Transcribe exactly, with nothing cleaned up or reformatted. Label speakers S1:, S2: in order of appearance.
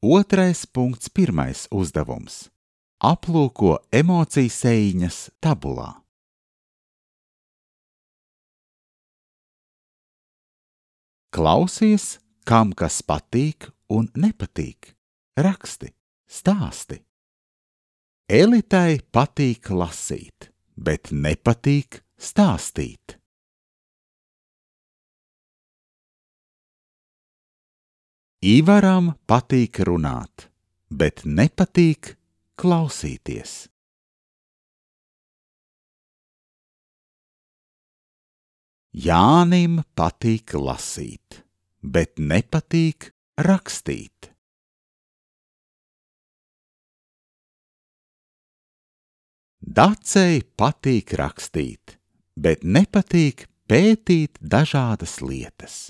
S1: Otrais punkts, pirmais uzdevums. Aplūko emociju sējiņas tabulā. Klausies, kam kas patīk un nepatīk. Raksti, stāsti. Elitai patīk lasīt, bet nepatīk stāstīt. Ivaram patīk runāt, bet nepatīk klausīties. Jānim patīk lasīt, bet nepatīk rakstīt. Dacei patīk rakstīt, bet nepatīk pētīt dažādas lietas.